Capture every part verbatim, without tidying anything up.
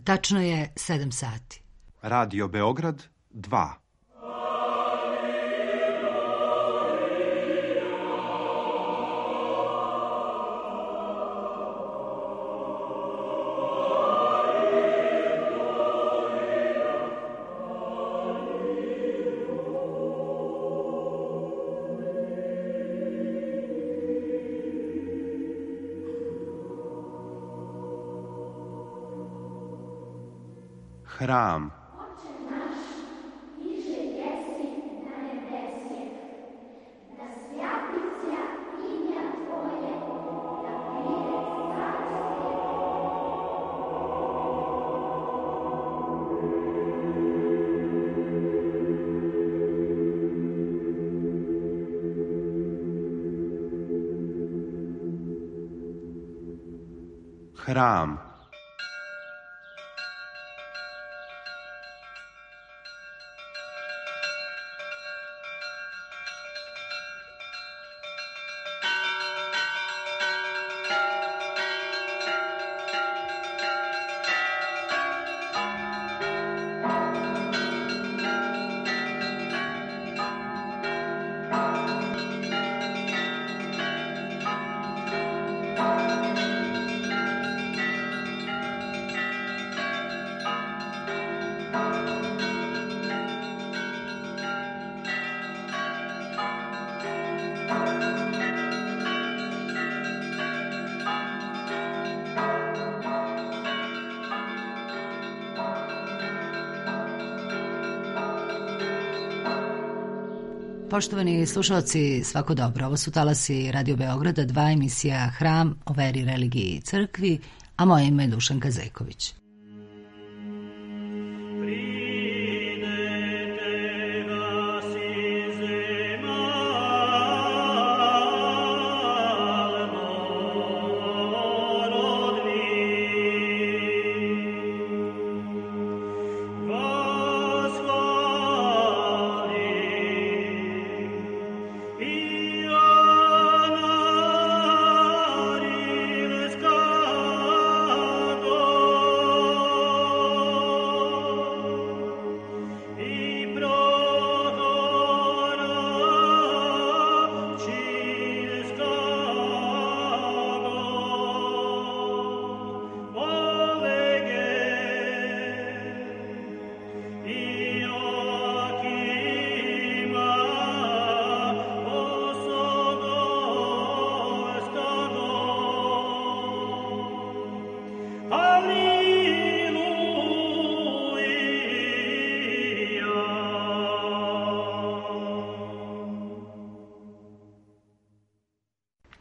Tačno je sedam sati. Radio Beograd dva. Hram. Hram. Poštovani slušalci, svako dobro. Ovo su talasi Radio Beograda, dva emisija Hram o veri, religiji i crkvi, a moje ime je Dušanka Zejković.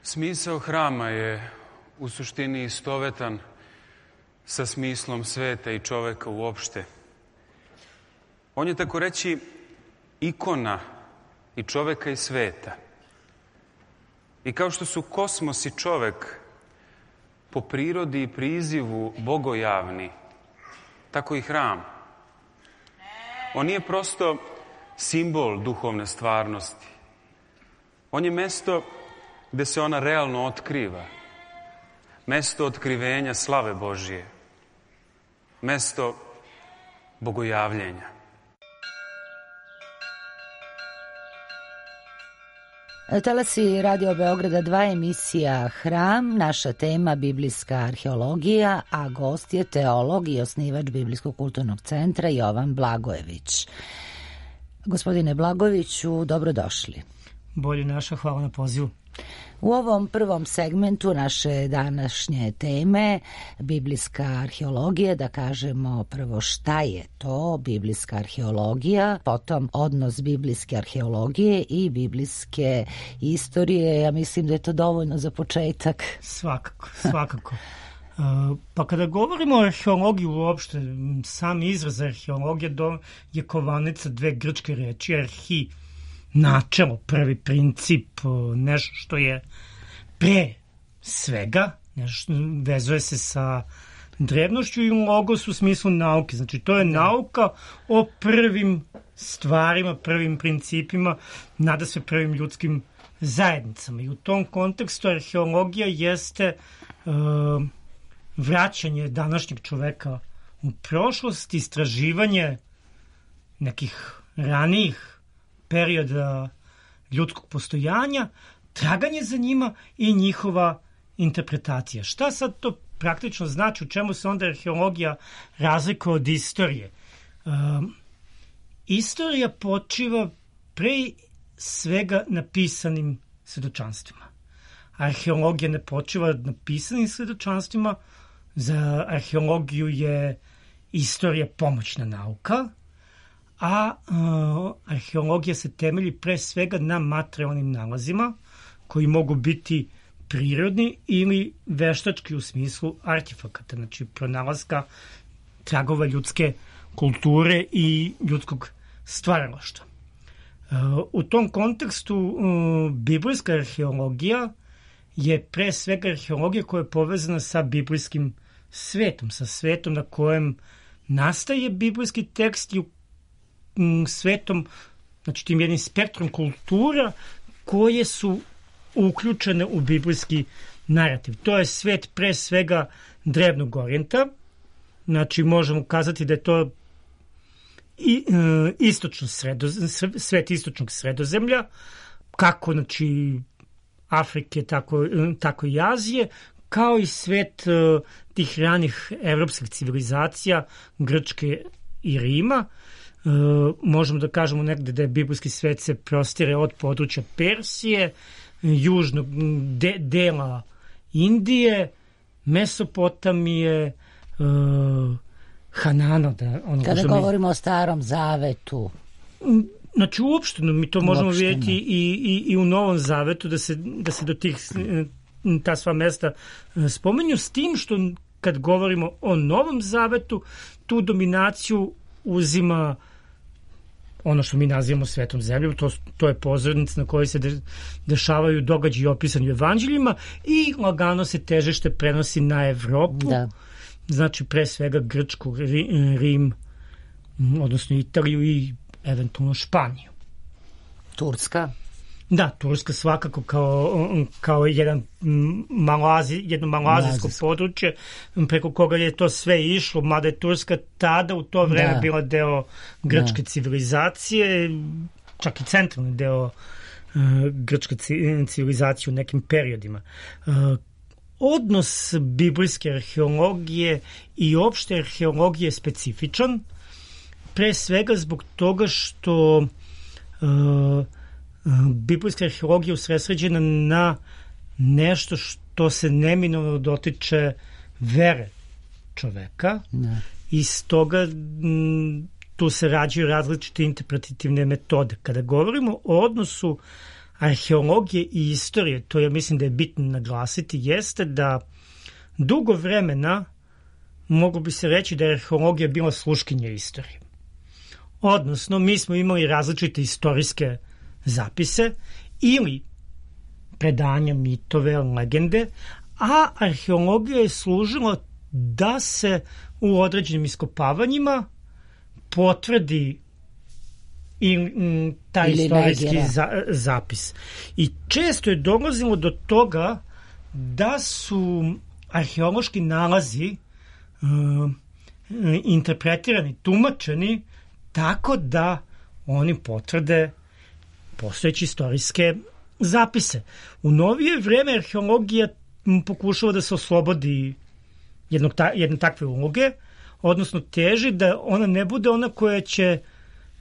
Smisao hrama je u suštini istovetan sa smislom sveta i čoveka uopšte. On je, tako reći, ikona i čoveka i sveta. I kao što su kosmos i čovek po prirodi i prizivu bogojavni, tako i hram. On nije prosto simbol duhovne stvarnosti. On je mesto gde se ona realno otkriva. Mesto otkrivenja slave Božije. Mesto bogojavljenja. Talasi Radio Beograda dva, emisija Hram, naša tema biblijska arheologija, a gost je teolog i osnivač Biblijskog kulturnog centra Jovan Blagojević. Gospodine Blagojeviću, dobrodošli. Bolje naša, hvala na pozivu. U ovom prvom segmentu naše današnje teme, biblijska arheologija, da kažemo prvo šta je to biblijska arheologija, potom odnos biblijske arheologije i biblijske istorije. Ja mislim da je to dovoljno za početak. Svakako, svakako. Pa kada govorimo o arheologiji uopšte, sam izraz arheologija je kovanica dve grčke reči, arhi, načelo, prvi princip, nešto što je pre svega, nešto vezuje se sa drevnošću, i logos u smislu nauke. Znači, to je nauka o prvim stvarima, prvim principima, nada sve prvim ljudskim zajednicama. I u tom kontekstu arheologija jeste uh, vraćanje današnjeg čoveka u prošlost, istraživanje nekih ranijih perioda ljudskog postojanja, traganje za njima i njihova interpretacija. Šta sad to praktično znači, u čemu se onda arheologija razlikuje od istorije? Um, istorija počiva pre svega na pisanim svedočanstvima. Arheologija ne počiva na pisanim svedočanstvima, za arheologiju je istorija pomoćna nauka, a uh, arheologija se temelji pre svega na materijalnim nalazima koji mogu biti prirodni ili veštački u smislu artefakata, znači pronalaska tragova ljudske kulture i ljudskog stvaralaštva. Uh, u tom kontekstu uh, biblijska arheologija je pre svega arheologija koja je povezana sa biblijskim svetom, sa svetom na kojem nastaje biblijski tekst i um, svetom, znači tim jednim spektrom kultura koje su uključene u biblijski narativ. To je svet pre svega drevnog orijenta, znači možemo kazati da je to i, e, istočno sredo, svet istočnog sredozemlja, kako znači Afrike, tako, tako i Azije, kao i svet e, tih ranih evropskih civilizacija, Grčke i Rima. E, možemo da kažemo negde da je biblijski svet se prostire od područja Persije, južnog de, dela Indije, Mesopotamije, uh, Hanana. Da, ono Kada govorimo mi... o Starom Zavetu. Znači uopšteno mi to možemo uopšteno vidjeti i, i, i u Novom Zavetu da se, da se do tih ta sva mesta spomenju, s tim što kad govorimo o Novom Zavetu, tu dominaciju uzima ono što mi nazivamo svetom zemljom, to, to je pozornica na kojoj se de, dešavaju događaji opisani u evanđeljima i lagano se težište prenosi na Evropu, da. Znači pre svega Grčku, Rim, odnosno Italiju i eventualno Španiju. Turska? Da, Turska svakako kao, kao jedan maloazi, jedno maloazijsko područje preko koga je to sve išlo, mada je Turska tada u to vreme da. bila deo grčke da. civilizacije, čak i centralni deo uh, grčke civilizacije u nekim periodima. Uh, odnos biblijske arheologije i opšte arheologije je specifičan, pre svega zbog toga što uh, biblijska arheologija usredsređena na nešto što se neminovno dotiče vere čoveka ne. I stoga m, tu se rađaju različite interpretativne metode. Kada govorimo o odnosu arheologije i istorije, to ja mislim da je bitno naglasiti, jeste da dugo vremena moglo bi se reći da je arheologija bila sluškinja istorije. Odnosno, mi smo imali različite istorijske zapise ili predanja, mitove, legende, a arheologija je služila da se u određenim iskopavanjima potvrdi i m, taj ili istorijski za, zapis. I često je dolazilo do toga da su arheološki nalazi uh, interpretirani, tumačeni tako da oni potvrde postojeće istorijske zapise. U novije vreme arheologija pokušava da se oslobodi jednog ta, jedne takve uloge, odnosno teži da ona ne bude ona koja će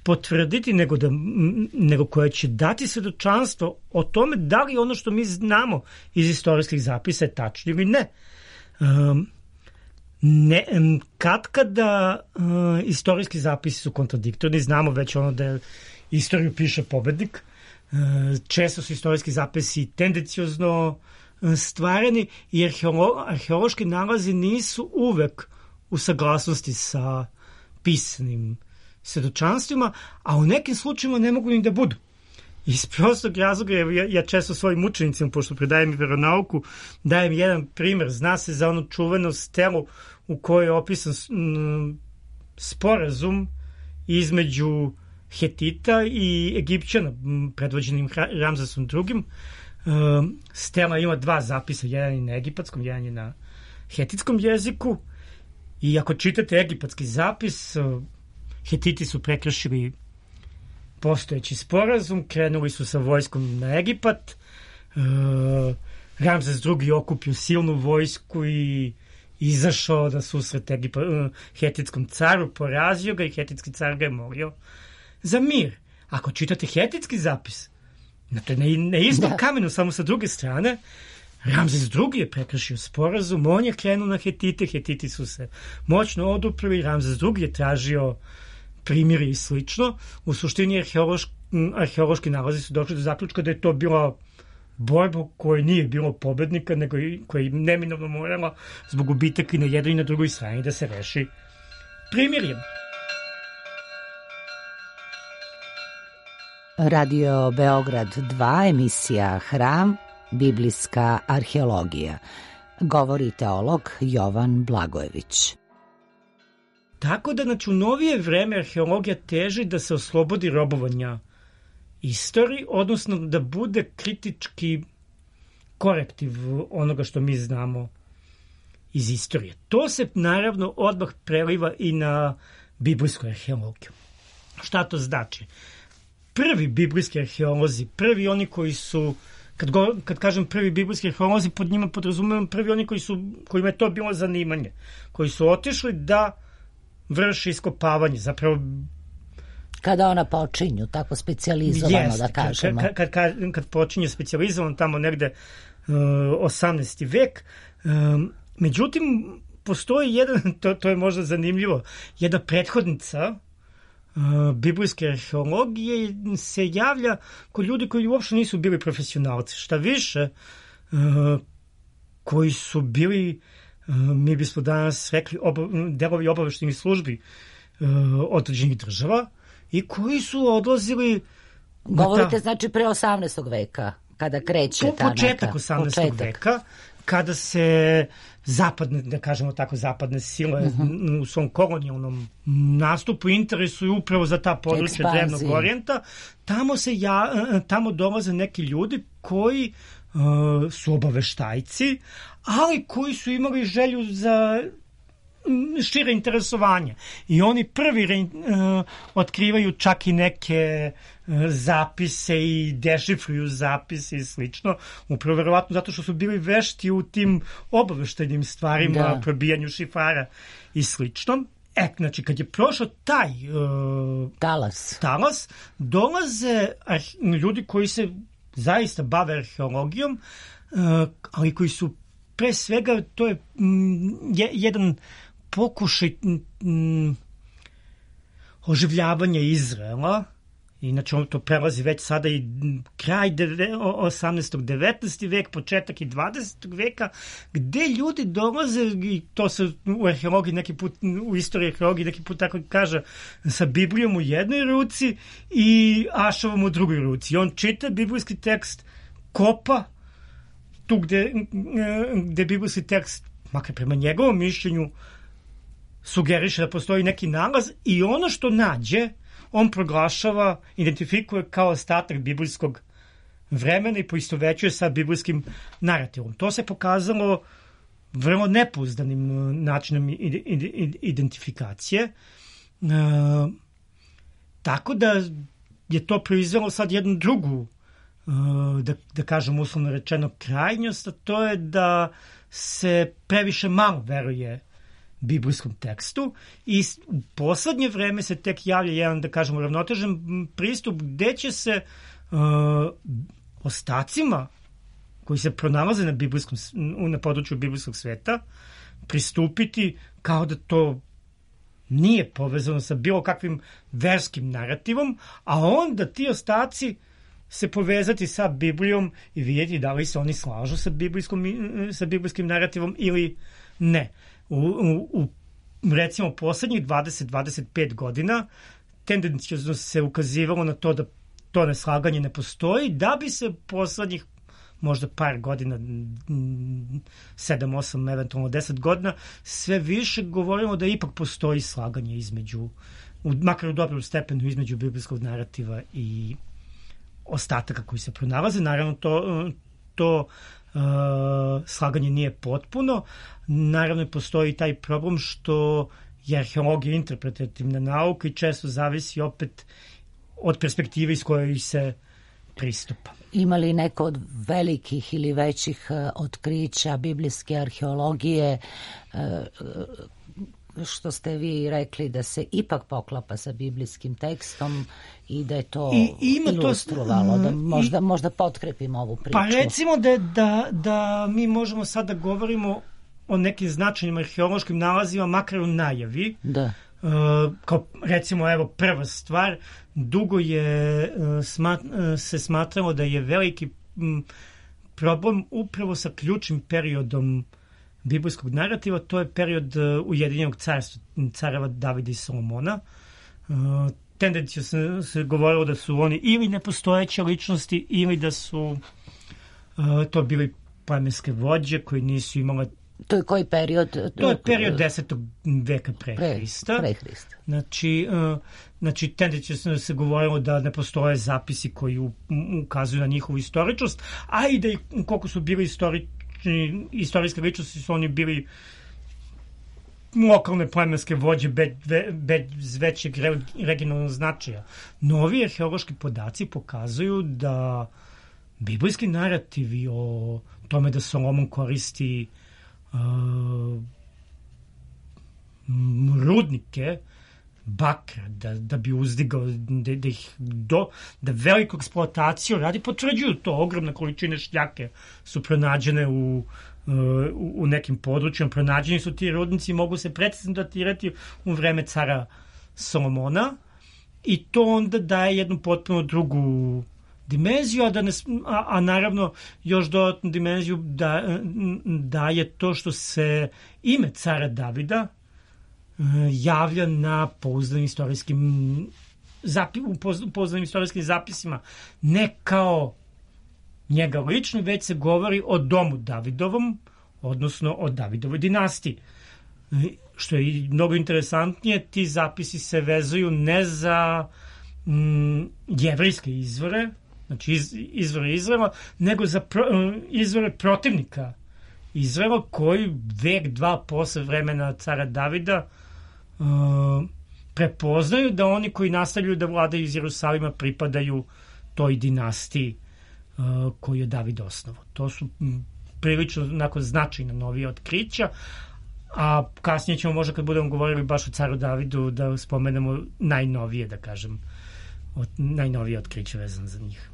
potvrditi, nego, da, nego koja će dati svedočanstvo o tome da li ono što mi znamo iz istorijskih zapisa je tačno ili ne. Um, ne kad kada uh, istorijski zapisi su kontradiktorni, znamo već ono da istoriju piše pobednik, uh, često su istorijski zapisi tendenciozno uh, stvareni i arheolo, arheološki nalazi nisu uvek u saglasnosti sa pisanim svedočanstvima, a u nekim slučajima ne mogu ni da budu. Iz prostog razloga, ja, ja često svojim učenicima, pošto predajem i veronauku, dajem jedan primer. Zna se za onu čuvenu stelu u kojoj je opisan m, sporazum između Hetita i Egipćana, predvođenim Ramzesom drugim. Um, stela ima dva zapisa, jedan je na egipatskom, jedan je na hetitskom jeziku. I ako čitate egipatski zapis, Hetiti su prekršili postojeći sporazum, krenuli su sa vojskom na Egipat, Ramzes drugi okupio silnu vojsku i izašao da susret Egipa, hetitskom caru, porazio ga i hetitski car ga je molio za mir. Ako čitate hetitski zapis, na to je na istom kamenu, samo sa druge strane, Ramzes drugi je prekršio sporazum, on je krenuo na Hetite, Hetiti su se moćno oduprli, Ramzes drugi je tražio primjeri i slično. U suštini arheološki, arheološki nalazi su došli do zaključka da je to bila borba koja nije bilo pobednika, nego koja je neminovno morala zbog gubitaka i na jednoj i na drugoj strani da se reši primirjem. Radio Beograd dva, emisija Hram, biblijska arheologija. Govori teolog Jovan Blagojević. Tako da, znači, u novije vreme arheologija teži da se oslobodi robovanja istoriji, odnosno da bude kritički korektiv onoga što mi znamo iz istorije. To se naravno odmah preliva i na biblijsku arheologiju. Šta to znači? Prvi biblijski arheolozi, prvi oni koji su, kad, go, kad kažem prvi biblijski arheolozi, pod njima podrazumevam prvi oni koji su, kojima je to bilo zanimanje, koji su otišli da vrši iskopavanje, zapravo kada ona počinju, tako specijalizovano, jest, da kažemo. Kad, kad, kad, kad počinje specijalizovano, tamo negde uh, osamnaesti vek. Um, međutim, postoji jedan, to, to je možda zanimljivo, jedna prethodnica uh, biblijske arheologije se javlja kod ljudi koji uopšte nisu bili profesionalci. Šta više, uh, koji su bili, uh, mi bismo danas rekli, oba, delovi obaveštajnih službi uh, određenih država, i koji su odlazili... Govorite, ta, znači, pre osamnaestog veka, kada kreće po, ta početak neka... osamnaestog početak. veka, kada se zapadne, da kažemo tako, zapadne sile uh-huh. u svom kolonijalnom nastupu interesuju upravo za ta područja Drevnog Orijenta, tamo, se ja, tamo dolaze neki ljudi koji uh, su obaveštajci, ali koji su imali želju za šire interesovanje. I oni prvi re, uh, otkrivaju čak i neke uh, zapise i dešifruju zapise i slično. Upravo verovatno zato što su bili vešti u tim obaveštajnim stvarima, da. probijanju šifara i slično. E, znači, kad je prošao taj uh, talas. talas, dolaze arhe, ljudi koji se zaista bave arheologijom, uh, ali koji su pre svega, to je mm, je, jedan pokušaj mm, oživljavanja Izraela, inače on to prelazi već sada i kraj osamnaestog. devetnaesti vek, početak i dvadesetog veka, gde ljudi dolaze, i to se u arheologiji neki put, u istoriji arheologiji neki put tako kaže, sa Biblijom u jednoj ruci i ašavom u drugoj ruci. I on čita biblijski tekst, kopa tu gde, gde biblijski tekst, makar prema njegovom mišljenju, sugeriše da postoji neki nalaz, i ono što nađe, on proglašava, identifikuje kao ostatak biblijskog vremena i poistovećuje sa biblijskim narativom. To se pokazalo vrlo nepouzdanim načinom identifikacije. E, tako da je to proizvelo sad jednu drugu, da, da kažem uslovno rečeno, krajnjost, a to je da se previše malo veruje biblijskom tekstu, i u poslednje vreme se tek javlja jedan, da kažemo, ravnotežen pristup gde će se uh, ostacima koji se pronalaze na, biblijskom, na području biblijskog sveta pristupiti kao da to nije povezano sa bilo kakvim verskim narativom, a onda ti ostaci se povezati sa Biblijom i vidjeti da li se oni slažu sa, sa biblijskim narativom ili ne. U, u, u recimo poslednjih dvadeset do dvadeset pet godina tendencijozno se ukazivalo na to da to neslaganje ne postoji, da bi se poslednjih možda par godina, sedam, osam, eventualno deset godina, sve više govorimo da ipak postoji slaganje između, makar u dobrom stepenu, između biblijskog narativa i ostataka koji se pronalaze. Naravno, to, to slaganje nije potpuno. Naravno, postoji taj problem što je arheologija interpretativna nauka i često zavisi opet od perspektive iz koje se pristupa. Ima li neko od velikih ili većih otkrića biblijske arheologije što ste vi rekli da se ipak poklapa sa biblijskim tekstom i da je to I, ilustrovalo, to, da možda, i, možda potkrepimo ovu priču? Pa recimo da, da, da mi možemo sad da govorimo o nekim značajnim arheološkim nalazima, makar u najavi. Da. Uh, kao recimo, evo, prva stvar, dugo je uh, smat, uh, se smatralo da je veliki um, problem upravo sa ključnim periodom biblijskog narativa, to je period uh, Ujedinjenog carstva, careva Davida i Solomona. Uh, tendencija se, se govorilo da su oni ili nepostojeće ličnosti ili da su uh, to bili plemenske vođe koji nisu imali. To je koji period? To je period desetog veka pre, pre Hrista. Pre Hrista. Znači, uh, znači tendencija se, se govorilo da ne postoje zapisi koji u, ukazuju na njihovu istoričnost, a i da i koliko su bili istorični istorijske ličnosti su oni bili lokalne plemenske vođe bez, bez većeg regionalnog značaja. Novi arheološki podaci pokazuju da biblijski narativi o tome da Solomon koristi uh, rudnike bakra, da, da bi uzdigao, da, da ih do, da veliku eksploataciju radi, potvrđuju to. Ogromne količine šljake su pronađene u, u, u nekim područjima. Pronađeni su ti rudnici i mogu se precizno datirati u vreme cara Solomona i to onda daje jednu potpuno drugu dimenziju, a, da ne, a, a naravno još dodatnu dimenziju da, daje to što se ime cara Davida javlja na pouzdanim istorijskim zapi, u pouzdanim istorijskim zapisima, ne kao njega lično, već se govori o domu Davidovom, odnosno o Davidovoj dinastiji. Što je mnogo interesantnije, ti zapisi se vezuju ne za mm, jevrijske izvore, znači iz, izvore Izraela, nego za pro, izvore protivnika Izraela, koji vek, dva posle vremena cara Davida Uh, prepoznaju da oni koji nastavljaju da vladaju iz Jerusalima pripadaju toj dinastiji uh, koju je David osnovao. To su m, prilično onako značajna novija otkrića, a kasnije ćemo možda kad budemo govorili baš o caru Davidu da spomenemo najnovije, da kažem, od, najnovije otkriće vezan za njih.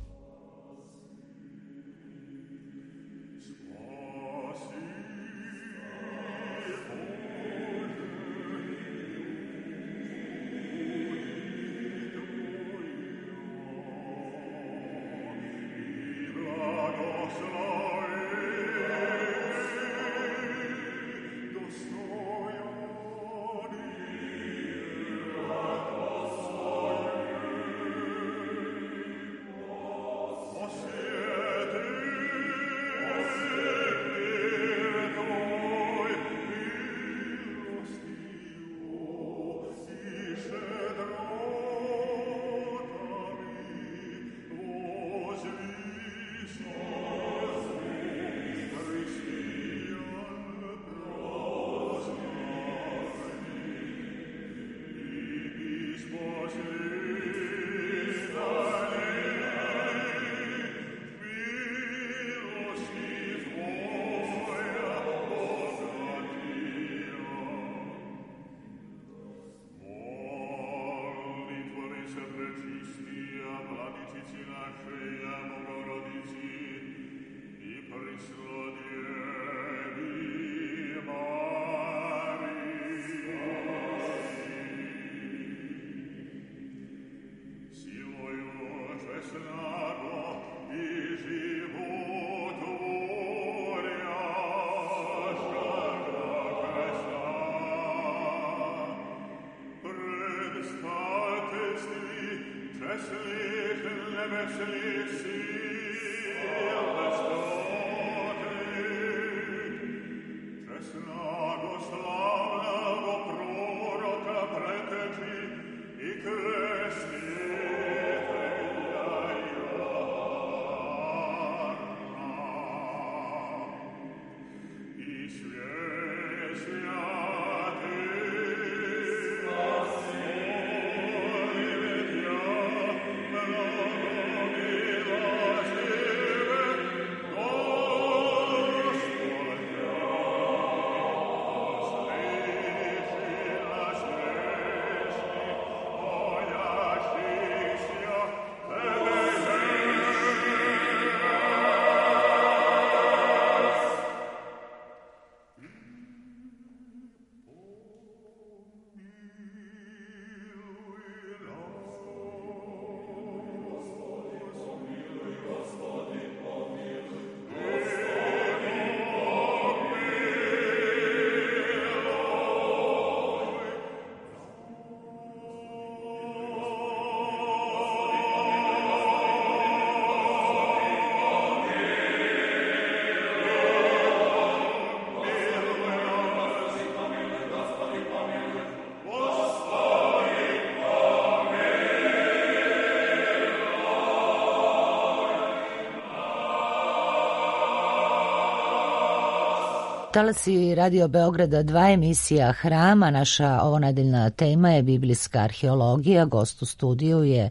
Talasi Radio Beograda dva, emisija Hrama. Naša ovonedeljna tema je biblijska arheologija. Gost u studiju je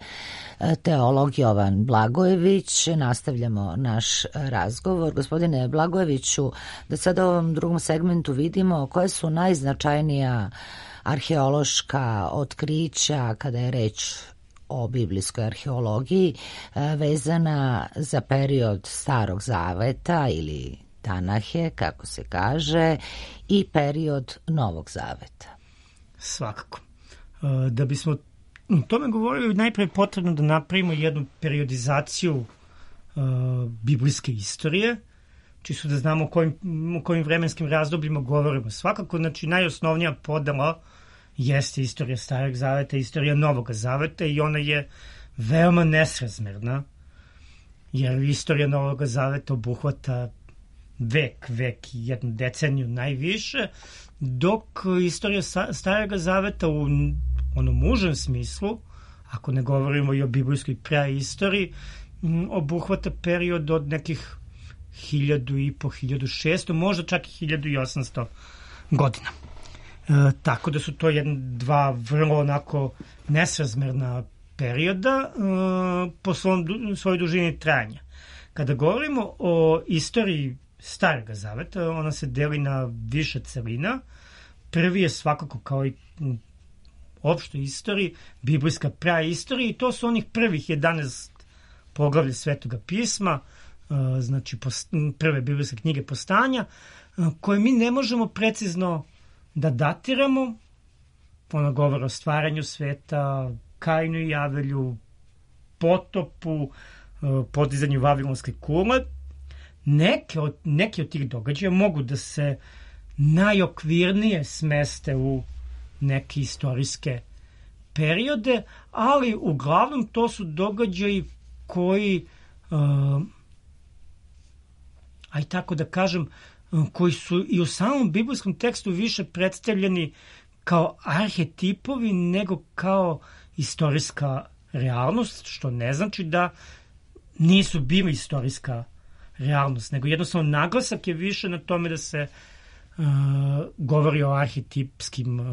teolog Jovan Blagojević. Nastavljamo naš razgovor. Gospodine Blagojeviću, da sada u ovom drugom segmentu vidimo koje su najznačajnija arheološka otkrića kada je reč o biblijskoj arheologiji vezana za period Starog Zaveta ili Tanahe, kako se kaže, i period Novog Zaveta. Svakako. Da bismo o tome govorili, najprije potrebno da napravimo jednu periodizaciju uh, biblijske istorije, čisto da znamo o kojim, o kojim vremenskim razdobljima govorimo. Svakako, znači, najosnovnija podela jeste istorija Starog Zaveta, istorija Novog Zaveta, i ona je veoma nesrazmerna, jer istorija Novog Zaveta obuhvata vek, vek i jednu deceniju najviše, dok istorija Starog Zaveta u onom užem smislu, ako ne govorimo i o biblijskoj praistoriji, obuhvata period od nekih hiljadu i po, hiljadu šesto, možda čak i hiljadu i osamsto godina. E, tako da su to jedna, dva vrlo onako nesrazmerna perioda e, po svom, svojoj dužini trajanja. Kada govorimo o istoriji Starog Zaveta, ona se deli na više celina. Prvi je svakako, kao i u opštoj istoriji, biblijska praistorija, i to su onih prvih jedanaest poglavlja Svetoga pisma, znači prve biblijske knjige Postanja, koje mi ne možemo precizno da datiramo. Ona govori o stvaranju sveta, Kainu i Avelju, potopu, podizanju Vavilonske kule. Neke od, neke od tih događaja mogu da se najokvirnije smeste u neke istorijske periode, ali uglavnom to su događaji koji, uh, aj tako da kažem, uh, koji su i u samom biblijskom tekstu više predstavljeni kao arhetipovi nego kao istorijska realnost, što ne znači da nisu bili istorijska realnost, nego jednostavno naglasak je više na tome da se uh, govori o arhetipskim uh,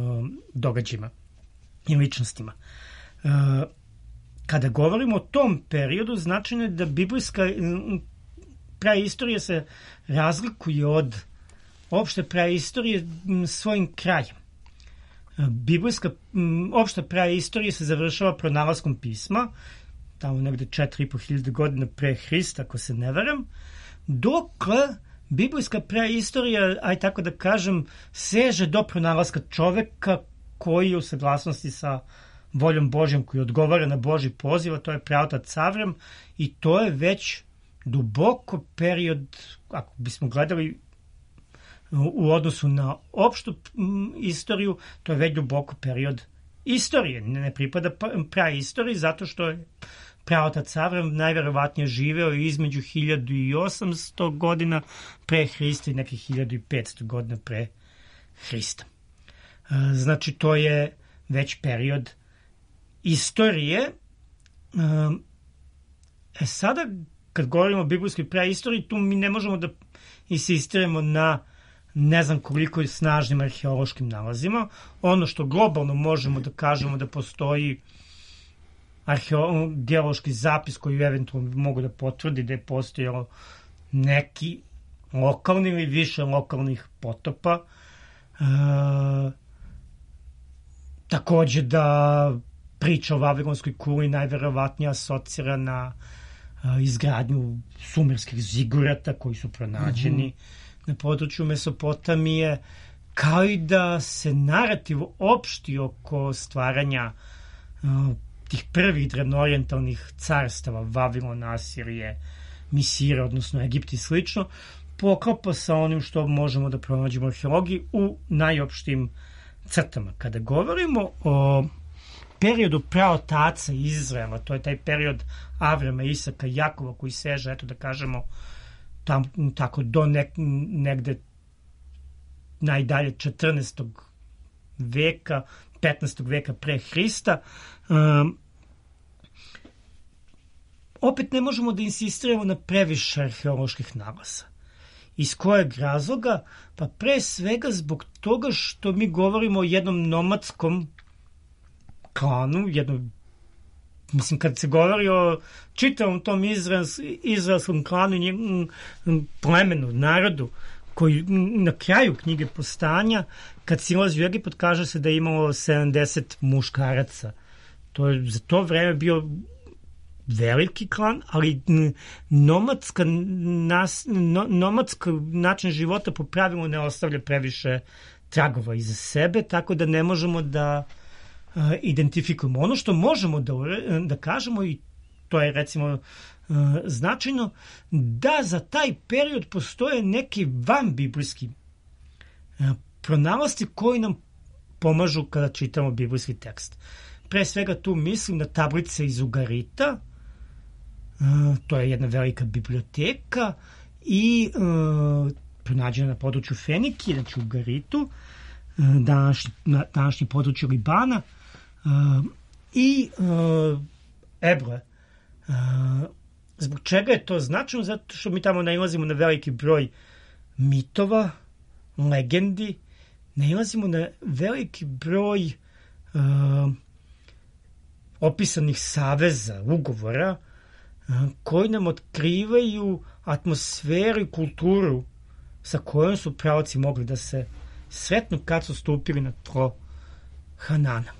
događajima i ličnostima. Uh, kada govorimo o tom periodu, značajno je da biblijska uh, praistorija se razlikuje od opšte praistorije um, svojim krajem. Uh, biblijska um, opšta praistorija se završava pronalaskom pisma, tamo negde četiri i po hiljade godina pre Hrista, ako se ne varam, dokle biblijska praistorija, aj tako da kažem, seže do pronalaska čoveka koji je u saglasnosti sa voljom Božjom, koji odgovara na Božji poziv, a to je praotac Avram, i to je već duboko period, ako bismo gledali u odnosu na opštu istoriju, to je već duboko period istorije. Ne pripada praistoriji, zato što je praotac Avram najverovatnije živeo između hiljadu i osamsto godina pre Hrista i nekih hiljadu i petsto godina pre Hrista. Znači, to je već period istorije. E sada, kad govorimo o biblijskoj praistoriji, tu mi ne možemo da insistiramo na ne znam koliko snažnim arheološkim nalazima. Ono što globalno možemo da kažemo da postoji arheološki zapis koji eventualno mogu da potvrdi da je postojalo neki lokalni ili više lokalnih potopa. E, takođe da priča o Vavilonskoj kuli najverovatnije asocira na e, izgradnju sumerskih zigurata koji su pronađeni mm-hmm. na području Mesopotamije, kao i da se narativ opšti oko stvaranja e, tih prvih drevnoorijentalnih carstava, Vavilona, Asirije, Misira, odnosno Egipta i slično, poklapa sa onim što možemo da pronađemo u arheologiji u najopštim crtama. Kada govorimo o periodu praotaca Izraela, to je taj period Avrama, Isaka, Jakova, koji seže, eto da kažemo, tam, tako do nek, negde najdalje četrnaestog veka, petnaestog veka pre Hrista, um, opet ne možemo da insistiramo na previše arheoloških nalaza. Iz kojeg razloga? Pa pre svega zbog toga što mi govorimo o jednom nomadskom klanu, jednom, mislim, kad se govori o čitavom tom izraels, izraelskom klanu, plemenu, narodu, koji na kraju knjige Postanja, kad silazi u Egipat, kaže se da je imalo sedamdeset muškaraca. To je za to vreme bio veliki klan, ali nomadska, nas, no, nomadska način života po pravilu ne ostavlja previše tragova iza sebe, tako da ne možemo da uh, identifikujemo. Ono što možemo da, da kažemo, i to je recimo uh, značajno, da za taj period postoje neki vanbiblijski uh, pronalasti koji nam pomažu kada čitamo biblijski tekst. Pre svega tu mislim na tablice iz Ugarita, uh, to je jedna velika biblioteka i uh, pronađena na području Fenikije, znači u Ugaritu, uh, današnji, na današnji području Libana, uh, i uh, Ebroe. Uh, zbog čega je to značajno? Zato što mi tamo nailazimo na veliki broj mitova, legendi, nailazimo na veliki broj uh, opisanih saveza, ugovora, koji nam otkrivaju atmosferu i kulturu sa kojom su pravaci mogli da se sretnu kad su stupili na tlo Hanana.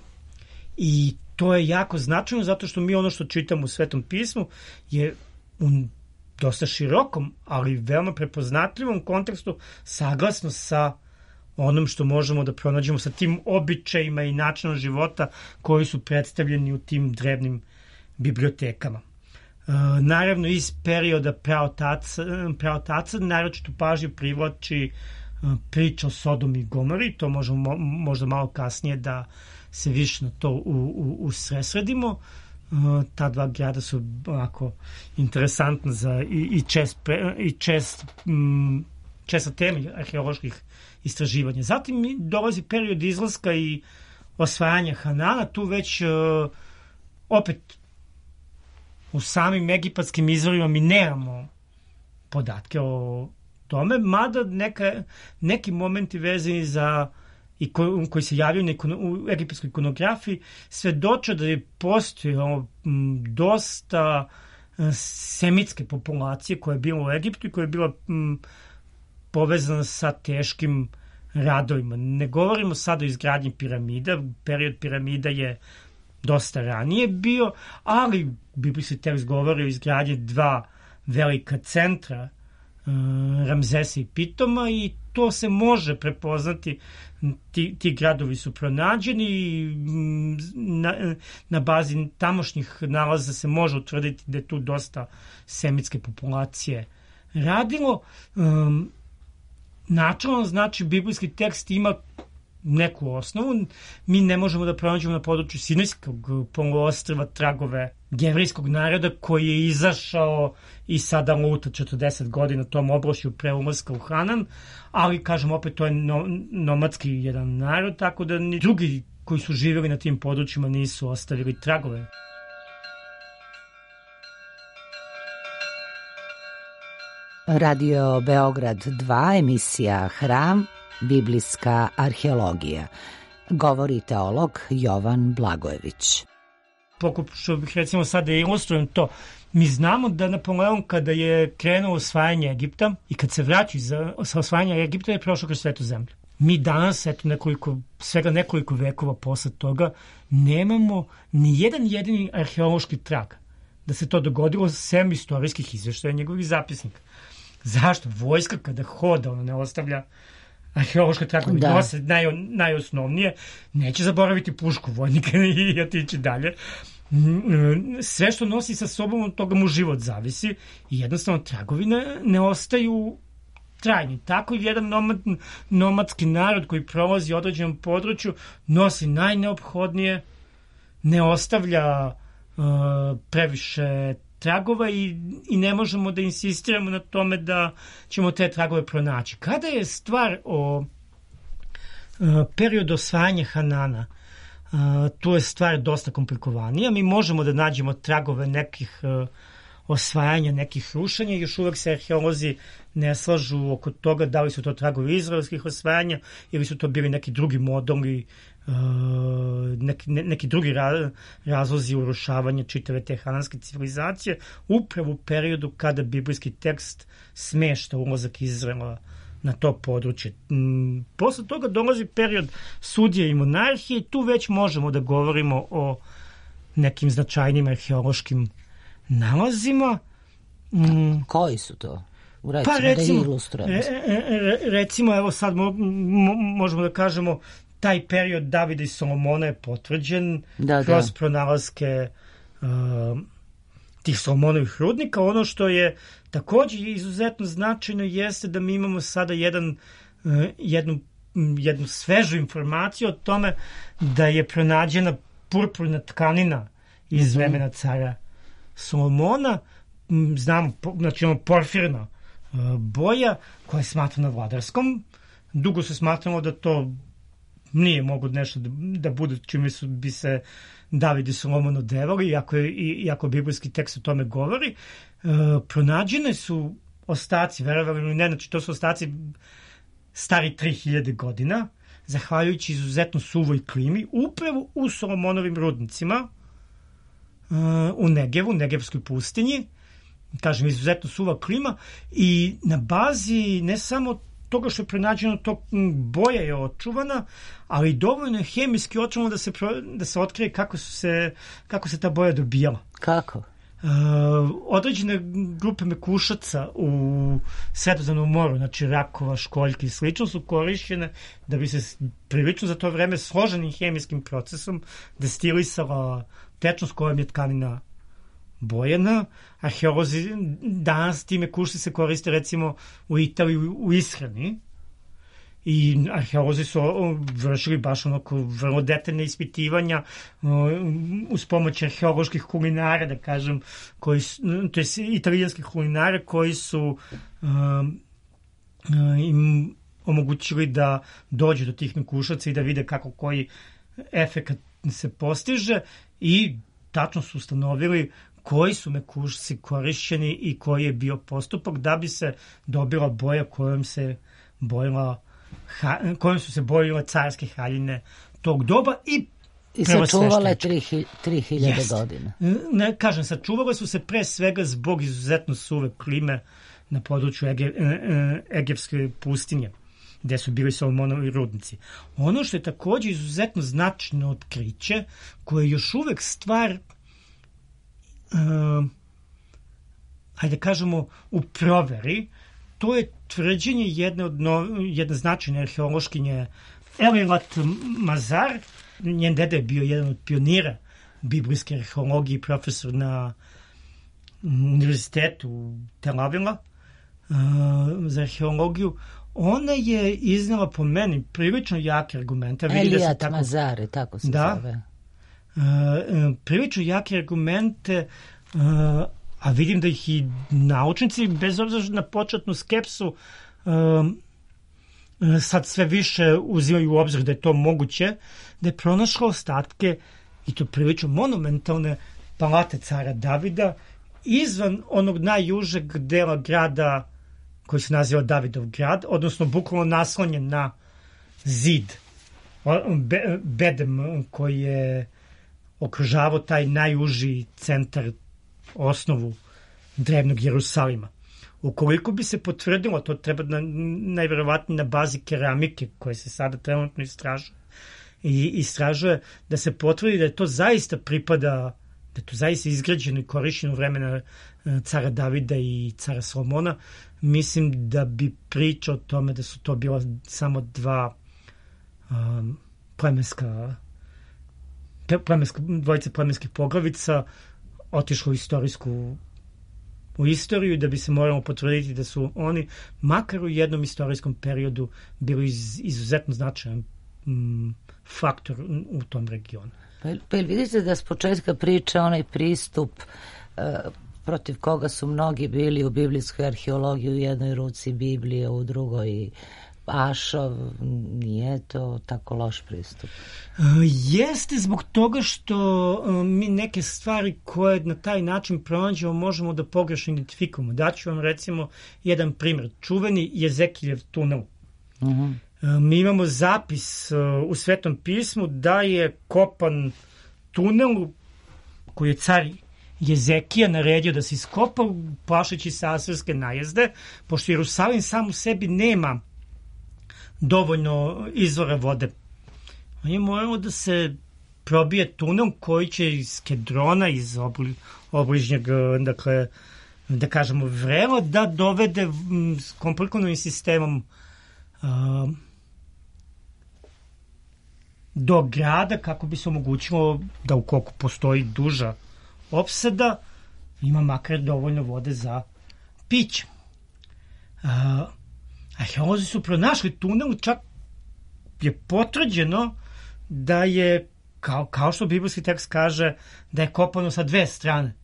I to je jako značajno zato što mi ono što čitamo u Svetom pismu je u dosta širokom, ali veoma prepoznatljivom kontekstu saglasno sa onom što možemo da pronađemo sa tim običajima i načinom života koji su predstavljeni u tim drevnim bibliotekama. E, naravno, iz perioda praotaca, praotaca naročito pažnju privlači e, priča o Sodomi i Gomori, to možemo možda malo kasnije da se više na to u, u, usresredimo. E, ta dva grada su ovako interesantna za i, i čest, pre, i čest, m, česta tema arheoloških istraživanja. Zatim dolazi period izlaska i osvajanja Hanana, tu već uh, opet u samim egipatskim izvorima mi nemamo podatke o tome, mada neka, neki momenti vezani za i ko, koji se javljaju na ikono, u egipatskoj ikonografiji svedoče da je postojalo dosta uh, semitske populacije koja je bila u Egiptu i koja je bila m, povezana sa teškim radovima. Ne govorimo sad o izgradnji piramida, period piramida je dosta ranije bio, ali biblijski tekst govori o izgradnji dva velika centra, Ramzesa i Pitoma, i to se može prepoznati. Ti, ti gradovi su pronađeni i na, na bazi tamošnjih nalaza se može utvrditi da je tu dosta semitske populacije radilo. Um, Načelno, znači, biblijski tekst ima neku osnovu. Mi ne možemo da pronađemo na području Sinajskog poluostrva tragove jevrejskog naroda koji je izašao i sada luta četrdeset godina tom obrošju pre ulaska u Hanan, ali, kažem, opet to je no, nomadski jedan narod, tako da ni drugi koji su živjeli na tim područjima nisu ostavili tragove. Radio Beograd dva, emisija Hram, biblijska arheologija. Govori teolog Jovan Blagojević. Pokušao bih recimo sad da ilustrujem to. Mi znamo da Napoleon kada je krenuo osvajanje Egipta i kad se vraća za, sa osvajanja Egipta je prošao kroz svetu zemlju. Mi danas, eto nekoliko, svega nekoliko vekova posle toga, nemamo ni jedan jedini arheološki trag da se to dogodilo sem istorijskih izveštaja njegovih zapisnika. Zašto? Vojska kada hoda, ona ne ostavlja arheološke tragove, da. Nose naj, najosnovnije, neće zaboraviti pušku vojnika i otići dalje. Sve što nosi sa sobom, od toga mu život zavisi i jednostavno tragovi ne, ne ostaju trajni. Tako jedan nomad, nomadski narod koji prolazi u određenom području nosi najneophodnije, ne ostavlja uh, previše tragova i, i ne možemo da insistiramo na tome da ćemo te tragove pronaći. Kada je stvar o uh, periodu osvajanja Hanana, uh, tu je stvar dosta komplikovanija. Mi možemo da nađemo tragove nekih uh, osvajanja nekih rušenja. Još uvek se arheolozi ne slažu oko toga da li su to tragovi izraelskih osvajanja ili su to bili neki drugi moduli, neki, neki drugi razlozi urušavanja čitave te hananske civilizacije, upravo u periodu kada biblijski tekst smešta ulazak Izraela na to područje. Posle toga dolazi period sudije i monarhije i tu već možemo da govorimo o nekim značajnim arheološkim nalazima. Koji su to? Recimo, pa recimo, da ilustrujemo. Re, re, recimo, evo sad mo, mo, možemo da kažemo taj period Davida i Solomona je potvrđen da, kroz da. pronalaske uh, tih Solomonovih rudnika. Ono što je takođe izuzetno značajno jeste da mi imamo sada jedan, uh, jednu, jednu svežu informaciju o tome da je pronađena purpurna tkanina iz vremena cara Solomona. Znamo, znači ono porfirna uh, boja koja je smatrana vladarskom. Dugo se smatralo da to nije mogo nešto da, da bude čime su bi se David i Solomon odevali, iako, je, iako biblijski tekst o tome govori. Uh, pronađene su ostaci, verovali ili ne, znači to su ostaci stari tri hiljade godina, zahvaljujući izuzetno suvoj klimi, upravo u Solomonovim rudnicima uh, u Negevu, Negevskoj pustinji. Kažem, izuzetno suva klima i na bazi ne samo toga što je pronađeno, to boja je očuvana, ali dovoljno je hemijski očuvano da se, da se otkrije kako, su se, kako se ta boja dobijala. Kako? Uh, određene grupe mekušaca u Sredozemnom moru, znači rakova, školjki i slično, su korišćene da bi se prilično za to vreme složenim hemijskim procesom destilisala tečnost kojom je tkanina bojena. Arheolozi danas time kušci se koriste recimo u Italiji u ishrani i arheolozi su vršili baš onako vrlo detaljne ispitivanja uz pomoć arheoloških kulinara, da kažem, koji su, to je italijanskih kulinara koji su um, im omogućili da dođu do tih mekušaca i da vide kako koji efekat se postiže i tačno su ustanovili koji su mekušci korišćeni i koji je bio postupak da bi se dobila boja kojom se bojila, kojom su se bojile carske haljine tog doba i I sačuvale tri hiljade godina. Ne, kažem, sačuvale su se pre svega zbog izuzetno suve klime na području Ege, Egevske pustinje, gde su bili Solomonovi rudnici. Ono što je takođe izuzetno značajno otkriće, koje je još uvek stvar Uh, hajde kažemo u proveri, to je tvrđenje jedne, od no, jedne značajne arheološkinje Elilat Mazar. Njen deda je bio jedan od pionira biblijske arheologije, profesor na univerzitetu Tel Avila uh, za arheologiju. Ona je iznala po meni prilično jake argumente. Elilat da Mazar, tako se da, zove. Uh, prilično jake argumente, uh, a vidim da ih i naučnici, bez obzira na početnu skepsu, uh, sad sve više uzimaju u obzir da je to moguće, da je pronašla ostatke, i to prilično monumentalne, palate cara Davida izvan onog najjužeg dela grada koji se naziva Davidov grad, odnosno bukvalno naslonjen na zid Be, bedem koji je okružavao taj najuži centar, osnovu drevnog Jerusalima. Ukoliko bi se potvrdilo, to treba na, najverovatnije na bazi keramike koje se sada trenutno istražuje, i istražuje da se potvrdi da je to zaista pripada, da je to zaista izgrađeno i korišćeno u vremena cara Davida i cara Solomona. Mislim da bi priča o tome da su to bila samo dva um, plemenska plemenska, dvojice plemenskih poglavica otišlo u istorijsku u istoriju, da bi se moramo potvrditi da su oni makar u jednom istorijskom periodu bili iz, izuzetno značajan mm, faktor u tom regionu. Pa, pa ili vidite da s početka priče onaj pristup uh, protiv koga su mnogi bili u biblijskoj arheologiji, u jednoj ruci Biblije, u drugoj Ašov, nije to tako loš pristup. Uh, jeste zbog toga što uh, mi neke stvari koje na taj način pronađemo možemo da pogrešno identifikujemo. Daću vam recimo jedan primjer. Čuveni Jezekiljev tunel. Uh-huh. Uh, mi imamo zapis uh, u Svetom pismu da je kopan tunel koji je car Jezekija naredio da se iskopa plašeći se asirske najezde, pošto Jerusalim sam u sebi nema dovoljno izvora vode. On je moralo da se probije tunel koji će iz Kedrona, iz obli, obližnjeg, dakle, da kažemo, vrela, da dovede m, s komplikovanim sistemom a, do grada, kako bi se omogućilo da ukoliko postoji duža opsada, ima makar dovoljno vode za piće. A, arheolozi su pronašli tunel, čak je potvrđeno da je, kao, kao što biblijski tekst kaže, da je kopano sa dve strane.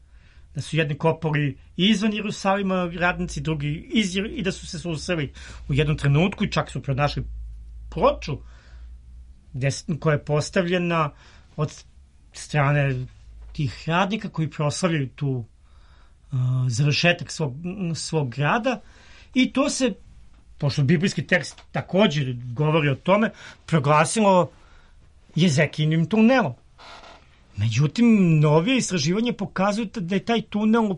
Da su jedni kopali izvan Jerusalima radnici, drugi iz, i da su se susreli u jednom trenutku i čak su pronašli ploču koja je postavljena od strane tih radnika koji proslavljaju tu uh, završetak svog, svog grada, i to se, pošto biblijski tekst također govori o tome, proglasilo Jezekijinim tunelom. Međutim, novije istraživanje pokazuju da je taj tunel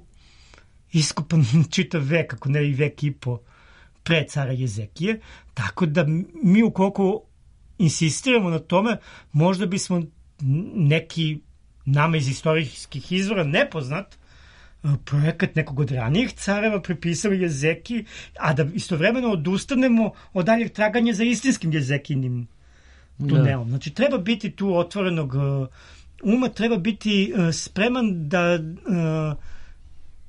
iskopan čitav vek, ako ne i vek i po pre cara Jezekije, tako da mi ukoliko insistiramo na tome, možda bismo neki nama iz istorijskih izvora nepoznat projekat nekog od ranijih careva pripisali Jezekiji, a da istovremeno odustanemo od daljeg traganja za istinskim Jezekijinim tunelom. Da. Znači, treba biti tu otvorenog uma, treba biti spreman da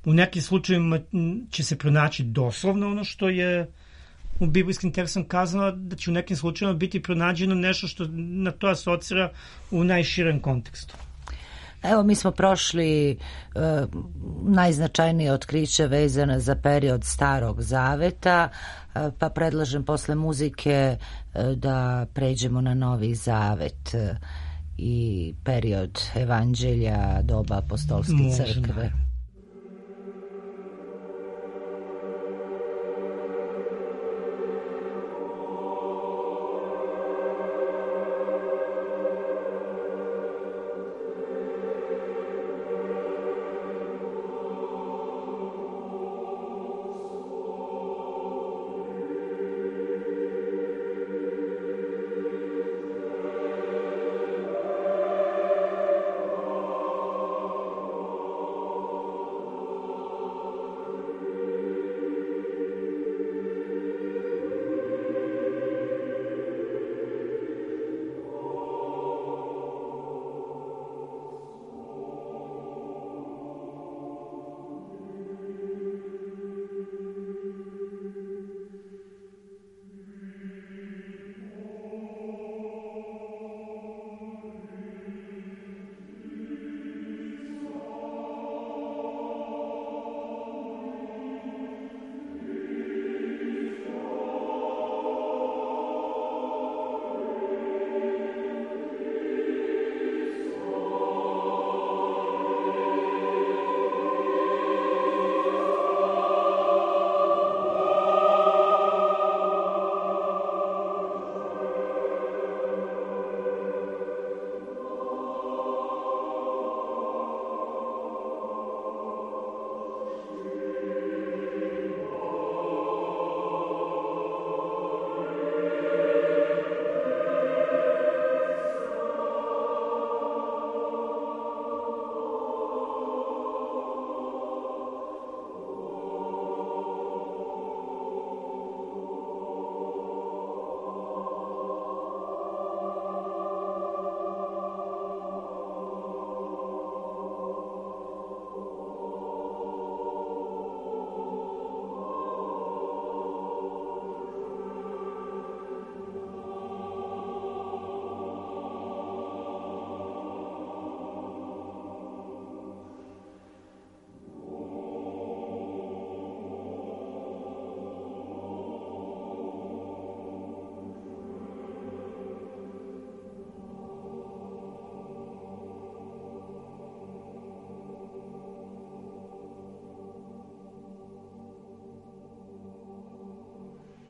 u nekim slučajevima će se pronaći doslovno ono što je u biblijskim tekstom kazano, da će u nekim slučajevima biti pronađeno nešto što na to asocira u najširem kontekstu. Evo, mi smo prošli e, najznačajnije otkriće vezane za period Starog Zaveta, e, pa predlažem posle muzike e, da pređemo na Novi Zavet e, i period Evanđelja, doba apostolske Možda. crkve.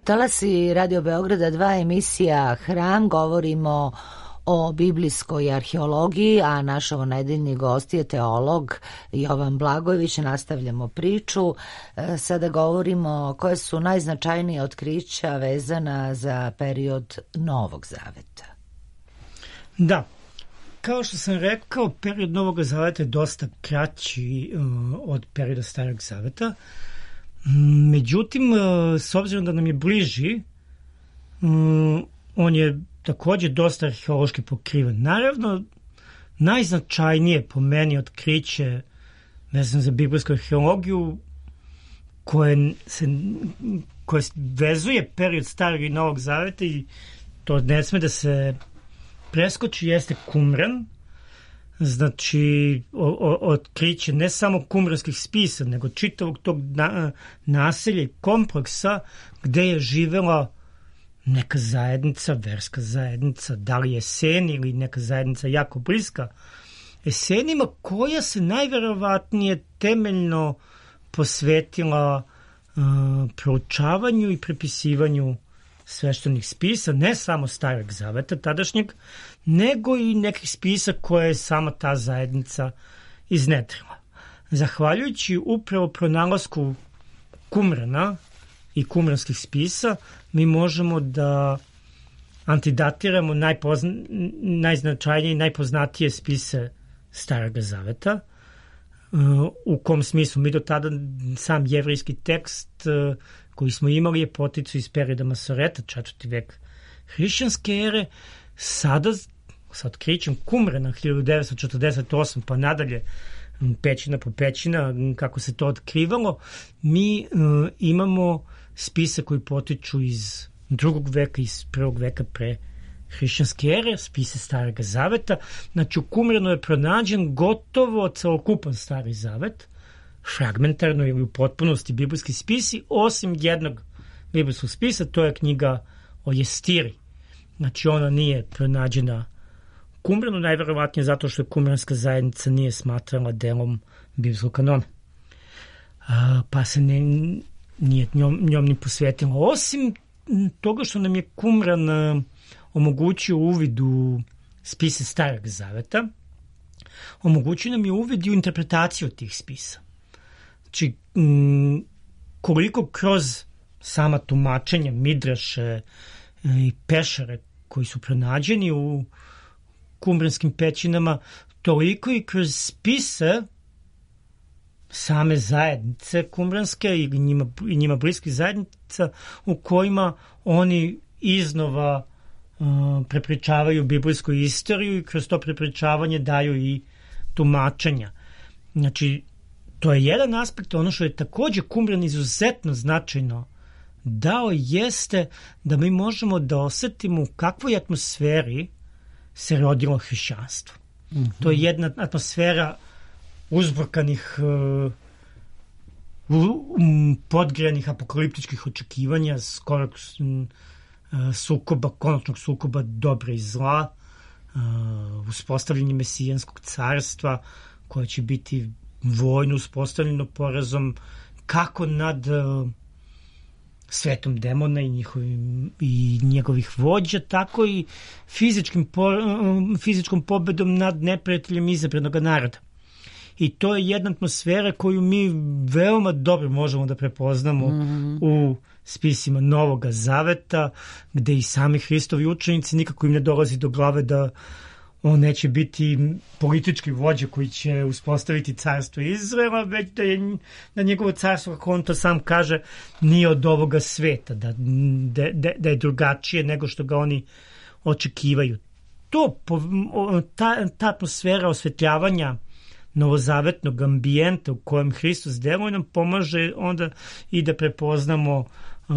Talasi Radio Beograda dva, emisija Hram, govorimo o biblijskoj arheologiji, a naš ovonedeljni gost je teolog Jovan Blagojević. Nastavljamo priču. Sada govorimo koje su najznačajnije otkrića vezana za period Novog Zaveta. Da, kao što sam rekao, period Novog Zaveta je dosta kraći uh, od perioda Starog Zaveta. Međutim, uh, s obzirom da nam je bliži, um, on je takođe dosta arheološki pokriven. Naravno, najznačajnije po meni otkriće vezano za biblijsku arheologiju koje, se, koje vezuje period Starog i Novog Zaveta i to ne sme da se preskoči, jeste Kumran. Znači, o, o, otkriće ne samo kumranskih spisa, nego čitavog tog na, naselja i kompleksa gde je živela neka zajednica, verska zajednica, da li Eseni ili neka zajednica jako bliska Esenima, koja se najverovatnije temeljno posvetila uh, proučavanju i prepisivanju sveštenih spisa, ne samo Starog Zaveta tadašnjeg, nego i nekih spisa koje je sama ta zajednica iznedrila. Zahvaljujući upravo pronalasku Kumrana i kumranskih spisa, mi možemo da antidatiramo najpozna, najznačajnije i najpoznatije spise Starog Zaveta, u kom smislu mi do tada sam jevrejski tekst koji smo imali je poticu iz perioda Masoreta, četvrti vek hrišćanske ere. Sada, sa otkrićem Kumrana hiljadu devetsto četrdeset osme pa nadalje, pećina po pećina, kako se to otkrivalo, mi uh, imamo spise koji potiču iz drugog veka, iz prvog veka pre hrišćanske ere, spise Starog Zaveta. Znači, u Kumranu je pronađen gotovo celokupan Stari Zavet, fragmentarno ili u potpunosti biblijski spisi, osim jednog biblijskog spisa, to je knjiga o Jestiri. Znači, ona nije pronađena u Kumranu, najverovatnije zato što kumranska zajednica nije smatrala delom biblijskog kanona. A, pa se ne, nije njom, njom ni posvetila. Osim toga što nam je Kumran a, omogućio uvid u spise Starog Zaveta, omogućio nam je uvid u interpretaciju tih spisa. Znači, m, koliko kroz sama tumačenja, midraše i pešare koji su pronađeni u kumranskim pećinama, toliko i kroz spise same zajednice kumranske i njima, i njima bliskih zajednica u kojima oni iznova uh, prepričavaju biblijsku istoriju i kroz to prepričavanje daju i tumačenja. Znači, to je jedan aspekt. Ono što je takođe Kumran izuzetno značajno dao jeste da mi možemo da osetimo u kakvoj atmosferi se rodilo hrišćanstvo. Mm-hmm. To je jedna atmosfera uzburkanih, uh, podgrejanih apokaliptičkih očekivanja, skorog uh, sukoba, konačnog sukoba dobra i zla, uh, uspostavljanje mesijanskog carstva koje će biti vojno uspostavljeno porazom kako nad uh, svetom demona i, njihovim, i njegovih vođa, tako i fizičkim po, uh, fizičkom pobedom nad neprijateljem izabranog naroda. I to je jedna atmosfera koju mi veoma dobro možemo da prepoznamo mm-hmm. u spisima Novog Zaveta, gde i sami Hristovi učenici nikako im ne dolazi do glave da on neće biti politički vođa koji će uspostaviti carstvo Izraela, već da je da njegovo carstvo, kako on to sam kaže, nije od ovoga sveta, da, da, da je drugačije nego što ga oni očekivaju. To, ta, ta atmosfera osvetljavanja novozavetnog ambijenta u kojem Hristos deluje nam pomaže onda i da prepoznamo uh,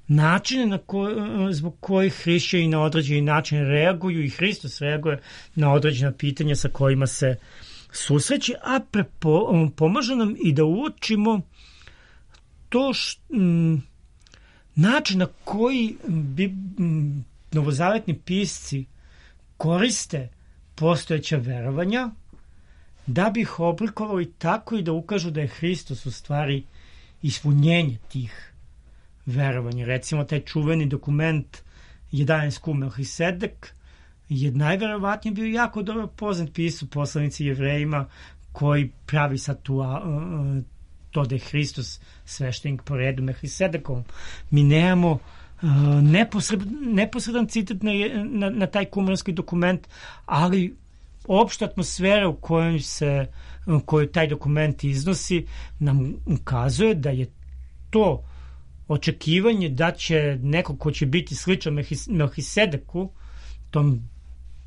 načine na ko, zbog kojih hrišćani na određeni način reaguju i Hristos reaguje na određena pitanja sa kojima se susreće, a prepo, pomaže nam i da uočimo to š, m, način na koji bi m, novozavetni pisci koriste postojeća verovanja da bi ih oblikovali tako i da ukažu da je Hristos u stvari ispunjenje tih verovanje. Recimo, taj čuveni dokument jedanaest Q Melhisedek je najverovatnije bio jako dobro poznat pisu poslanici Jevrejima koji pravi sad tu, a, a, to da je Hristos sveštenik po redu Melhisedekom. Mi nemamo a, neposred, neposredan citat na, na, na taj kumanski dokument, ali opšta atmosfera u kojoj se koju taj dokument iznosi nam ukazuje da je to očekivanje da će neko ko će biti sličan Melhisedeku, tom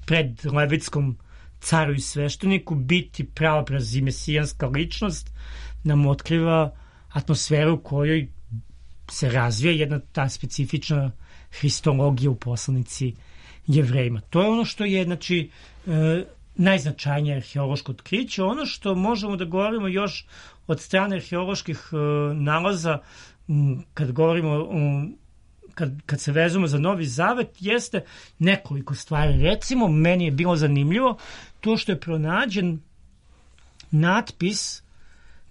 predlevitskom caru i svešteniku, biti pravobraz i mesijanska ličnost, nam otkriva atmosferu u kojoj se razvija jedna ta specifična hristologija u poslanici Jevrejima. To je ono što je, znači, e, najznačajnije arheološko otkriće. Ono što možemo da govorimo još od strane arheoloških e, nalaza, m, kad govorimo um, kad, kad se vezujemo za Novi Zavet, jeste nekoliko stvari. Recimo, meni je bilo zanimljivo to što je pronađen natpis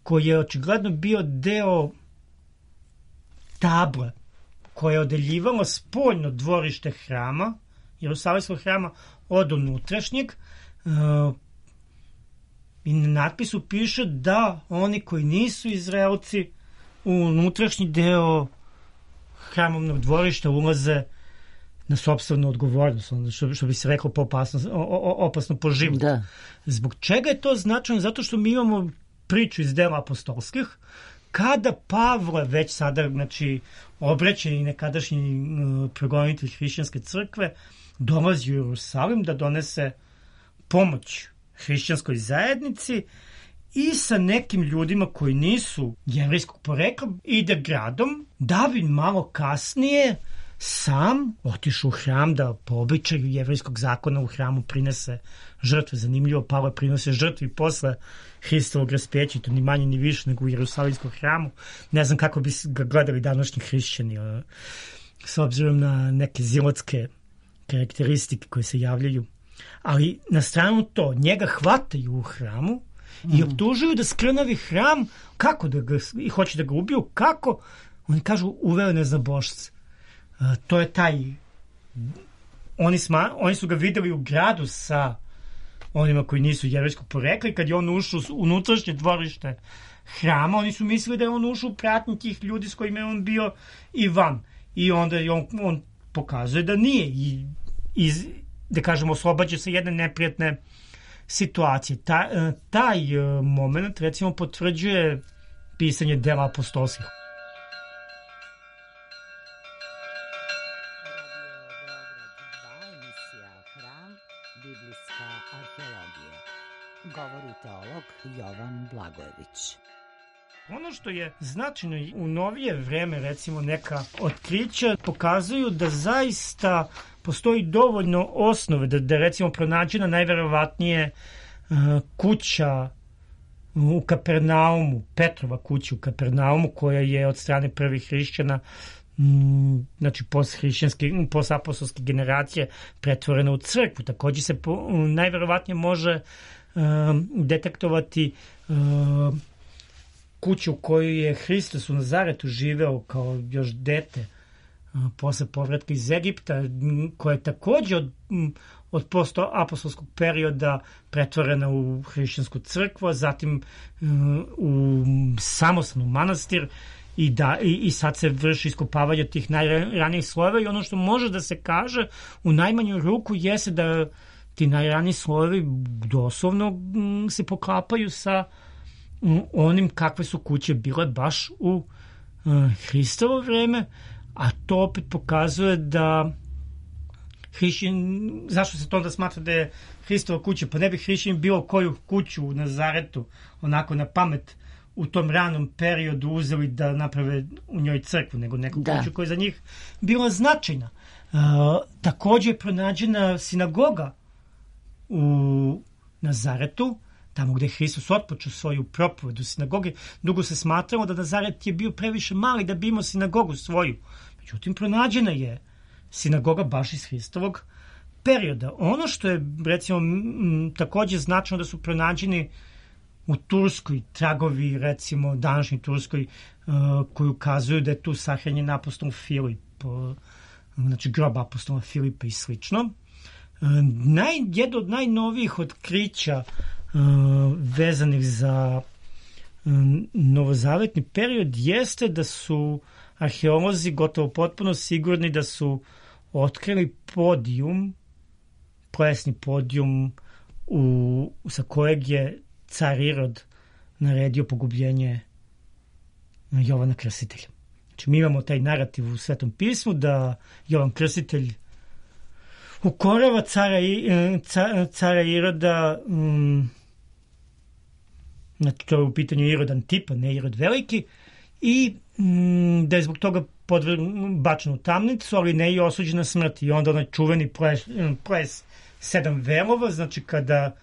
koji je očigledno bio deo table koje je odeljivalo spoljno dvorište hrama, Jerusalimskog hrama, od unutrašnjeg. Uh, i na natpisu piše da oni koji nisu Izraelci u unutrašnji deo hramovnog dvorišta ulaze na sopstvenu odgovornost, što, što bi se reklo po opasno, o, opasno po život. Da. Zbog čega je to značajno? Zato što mi imamo priču iz dela apostolskih, kada Pavle već sada, znači, obraćeni nekadašnji uh, progonitelj hrišćanske crkve, dolazi u Jerusalim da donese pomoć hrišćanskoj zajednici i sa nekim ljudima koji nisu jevrejskog porekla ide gradom, da bi malo kasnije sam otišao u hram da po običaju jevrejskog zakona u hramu prinese žrtve. Zanimljivo, Pavle prinose žrtve i posle Hristovog raspeća, to ni manje ni više nego u Jerusalimskom hramu. Ne znam kako bi ga gledali današnji hrišćani, s obzirom na neke zilotske karakteristike koje se javljaju. Ali na stranu to, njega hvataju u hramu mm. i optužuju da skrnavi hram, kako da ga, i hoće da ga ubiju, kako? Oni kažu, uveo neznabošce. Uh, to je taj, oni, sma, oni su ga videli u gradu sa onima koji nisu jevrejskog porekla i kad je on ušao u unutrašnje dvorište hrama, oni su mislili da je on ušao u pratnji tih ljudi s kojima je on bio i van. I onda je on, on pokazuje da nije i iz, da kažemo, oslobađa se jedne neprijatne situacije. Ta, taj moment, recimo, potvrđuje pisanje dela apostolskih. Biblijska arheologija. Govori teolog Jovan Blagojević. Ono što je značajno u novije vreme, recimo neka otkrića, pokazuju da zaista postoji dovoljno osnove da, da recimo pronađena najverovatnije uh, kuća u Kapernaumu, Petrova kuća u Kapernaumu, koja je od strane prvih hrišćana, m, znači post-hrišćanske, post-apostolske generacije pretvorena u crkvu. Također se po, najverovatnije može uh, detektovati uh, kuću u kojoj je Hristos u Nazaretu živeo kao još dete posle povratka iz Egipta, koja je također od, od post-apostolskog perioda pretvorena u hrišćansku crkvu, a zatim u samostalnu manastir i, da, i, i sad se vrši iskopavanje tih najranijih slojeva i ono što može da se kaže u najmanju ruku jeste da ti najraniji slojevi doslovno se poklapaju sa onim kakve su kuće bile baš u uh, Hristovo vreme, a to opet pokazuje da hrišćan, zašto se to onda smatra da je Hristova kuća, pa ne bi hrišćan bilo koju kuću u Nazaretu onako na pamet u tom ranom periodu uzeli da naprave u njoj crkvu, nego neku da. kuću koja je za njih bila značajna. Uh, također je pronađena sinagoga u Nazaretu, tamo gde je Hristos otpočeo svoju propoved u sinagogi. Dugo se smatralo da Nazaret je bio previše mali da bi imao sinagogu svoju. Međutim, pronađena je sinagoga baš iz Hristovog perioda. Ono što je, recimo, m, također značajno da su pronađeni u Turskoj tragovi, recimo, današnjoj Turskoj, uh, koji ukazuju da je tu sahranjen apostol Filip, znači grob apostola Filipa i slično. Naj, jedno od najnovijih otkrića vezanih za novozavetni period jeste da su arheolozi gotovo potpuno sigurni da su otkrili podijum, plesni podijum u, sa kojeg je car Irod naredio pogubljenje Jovana Krstitelja. Znači mi imamo taj narativ u Svetom pismu da Jovan Krstitelj ukorava cara, cara Iroda, um, znači to je u pitanju Irod Antipa, ne Irod Veliki, i um, da je zbog toga bačen u tamnicu, ali ne i osuđen na smrt. I onda onaj čuveni ples, ples sedam velova, znači kada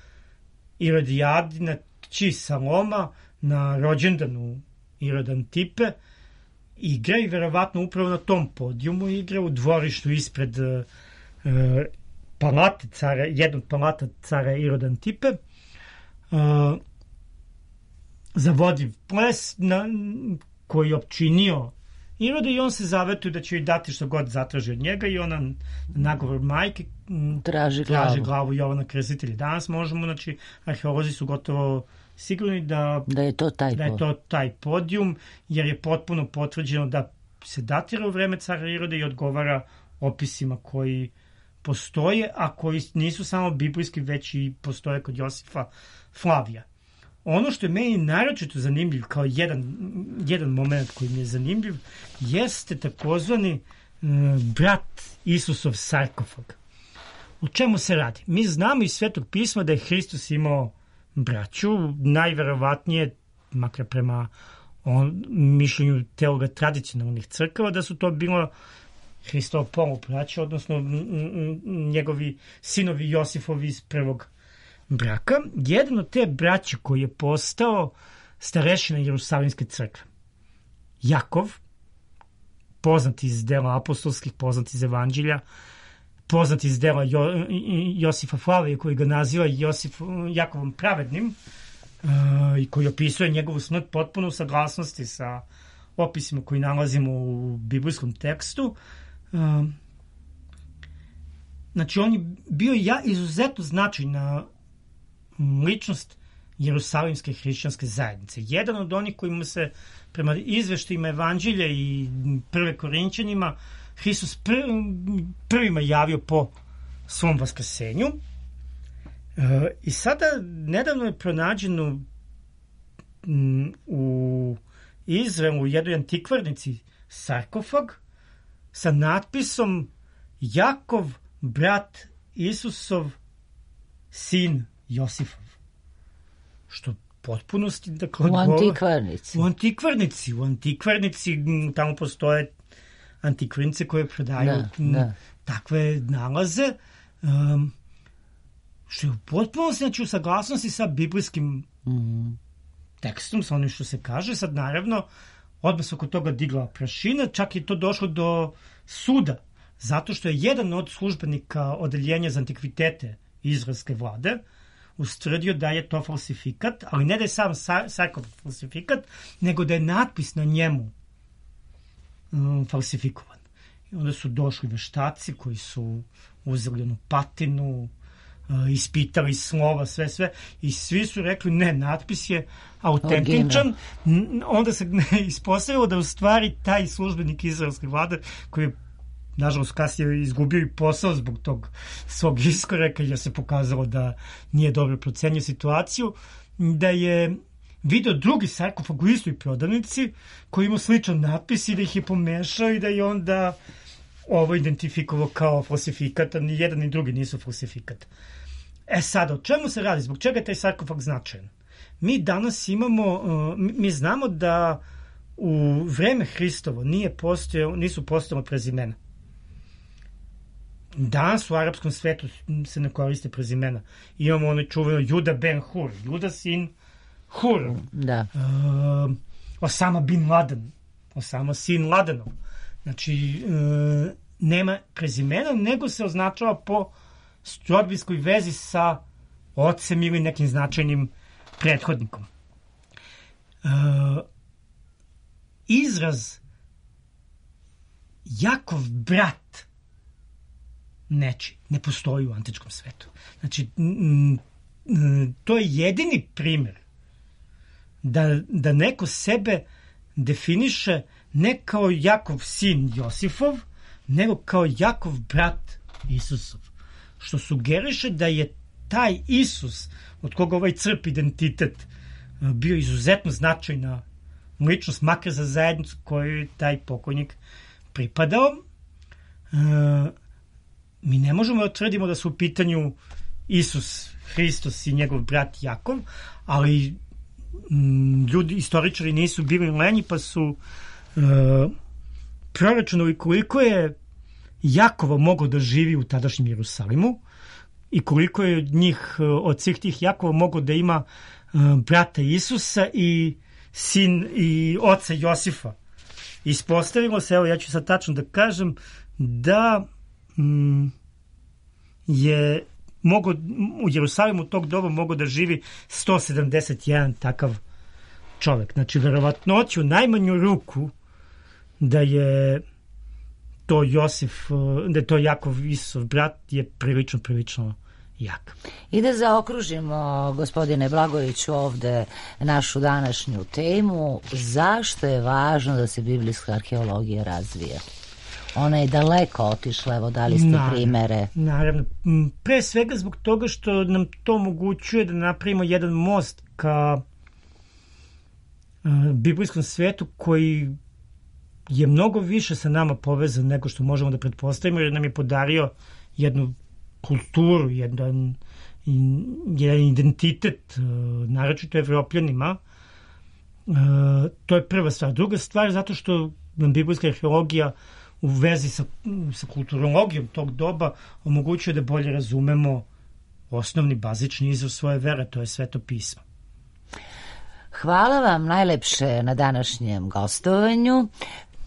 Irodijadina ći Saloma na rođendanu Irod Antipe igra i verovatno upravo na tom podijumu igra u dvorištu ispred uh, palate cara, jednog palata cara Irod Antipe, uh, zavodiv ples na, koji je opčinio Iroda i on se zavetuje da će joj dati što god zatraži od njega i ona nagovor majke traži glavu, traži glavu Jovana Krstitelja. Danas možemo, znači arheolozi su gotovo sigurni da, da, je, to taj da je to taj podijum, jer je potpuno potvrđeno da se datira u vreme cara Iroda i odgovara opisima koji postoje, a koji nisu samo biblijski, već i postoje kod Josifa Flavija. Ono što je meni naročito zanimljiv, kao jedan, jedan moment koji mi je zanimljiv, jeste takozvani e, brat Isusov sarkofag. O čemu se radi? Mi znamo iz Svetog pisma da je Hristos imao braću, najverovatnije, makar prema on, mišljenju teologa tradicionalnih crkava, da su to bilo Hristovo polubraća, odnosno njegovi sinovi Josifovi iz prvog braka. Jedan od te braće koji je postao starešina Jerusalimske crkve, Jakov, poznat iz dela apostolskih, poznat iz evanđelja, poznat iz dela jo, Josifa Flavija, koji ga naziva Josif, Jakovom pravednim, uh, i koji opisuje njegovu smrt potpuno u saglasnosti sa opisima koji nalazimo u biblijskom tekstu. Uh, znači, on je bio ja izuzetno značajna ličnost Jerusalimske hrišćanske zajednice. Jedan od onih kojima se prema izveštajima evanđelja i prve Korinćanima Hristos pr, prvima javio po svom vaskrsenju. E, I sada nedavno je pronađeno m, u Izraelu u jednoj antikvarnici sarkofag sa natpisom Jakov, brat Isusov, sin Josifov. Što potpunosti, dakle, u antikvarnici. U antikvarnici. U antikvarnici tamo postoje antikvarnice koje prodaju da, da. takve nalaze. Um, što je u potpunosti, znači u saglasnosti sa biblijskim mm. tekstom, sa onim što se kaže. Sad, naravno, odmah se oko toga digla prašina, čak je to došlo do suda, zato što je jedan od službenika odeljenja za antikvitete izraelske vlade ustvrdio da je to falsifikat, ali ne da je sam sarkofag falsifikat, nego da je natpis na njemu um, falsifikovan. I onda su došli veštaci koji su uzeli onu patinu, uh, ispitali slova, sve, sve, i svi su rekli ne, natpis je autentičan. Onda se ispostavilo da u stvari taj službenik izraelske vlade, koji je nažalost kasnije izgubio i posao zbog tog svog iskoreka, jer se pokazalo da nije dobro procenio situaciju, da je video drugi sarkofag u istoj prodavnici koji ima sličan natpis i da ih je pomešao i da je onda ovo identifikovao kao falsifikat, a ni jedan ni drugi nisu falsifikat. E sad, o čemu se radi? Zbog čega je taj sarkofag značajan? Mi danas imamo, mi znamo da u vreme Hristovo nije postojao, nisu postojala prezimena. Danas u arapskom svetu se ne koriste prezimena. Imamo ono čuveno Juda ben Hur, Juda sin Hur. Da. Uh, Osama bin Laden, Osama sin Ladenov. Znači, uh, nema prezimena, nego se označava po rodbinskoj vezi sa ocem ili nekim značajnim prethodnikom. Uh, izraz Jakov brat neči, ne postoji u antičkom svetu. Znači, to je jedini primjer da, da neko sebe definiše ne kao Jakov sin Josifov, nego kao Jakov brat Isusov. Što sugeriše da je taj Isus, od koga ovaj crp identitet, bio izuzetno značajna ličnost, makar za zajednicu koju je taj pokojnik pripadao. E, mi ne možemo da tvrdimo da su u pitanju Isus Hristos i njegov brat Jakov, ali m, ljudi, istoričari nisu bili lenji, pa su e, proračunali koliko je Jakova mogao da živi u tadašnjem Jerusalimu i koliko je njih, od svih tih Jakova mogao da ima e, brata Isusa i sin i oca Josifa. Ispostavilo se, evo ja ću sad tačno da kažem, da mm, je mogo, u Jerusalimu tog doba mogao da živi sto sedamdeset jedan takav čovek. Znači, verovatnoću najmanju ruku da je to Josif, da je to Jakov Isusov brat je prilično, prilično jak. I da zaokružimo, gospodine Blagojeviću, ovde našu današnju temu, zašto je važno da se biblijska arheologija razvija? Ona je daleko otišla, evo dali ste naravno, primere. Naravno, pre svega zbog toga što nam to omogućuje da napravimo jedan most ka uh, biblijskom svetu koji je mnogo više sa nama povezan nego što možemo da pretpostavimo, jer nam je podario jednu kulturu, jedan, jedan identitet, naročito Evropljanima. To je prva stvar. Druga stvar, zato što nam biblijska arheologija u vezi sa, sa kulturologijom tog doba omogućuje da bolje razumemo osnovni, bazični izvor svoje vere, to je Sveto pismo. Hvala vam najlepše na današnjem gostovanju.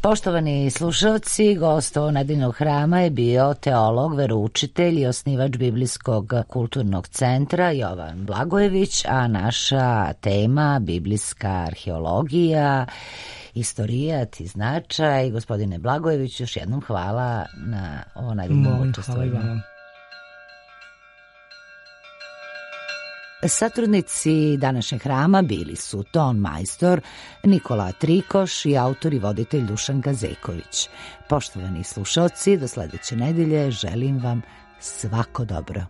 Poštovani slušalci, gost nedeljnog hrama je bio teolog, veroučitelj i osnivač Biblijskog kulturnog centra Jovan Blagojević, a naša tema biblijska arheologija, istorijat i značaj. Gospodine Blagojević, još jednom hvala na ovo nedeljno učestvovanje. Satrudnici današnjeg hrama bili su ton majstor Nikola Trikoš i autor i voditelj Dušan Gazeković. Poštovani slušalci, do sledeće nedelje želim vam svako dobro.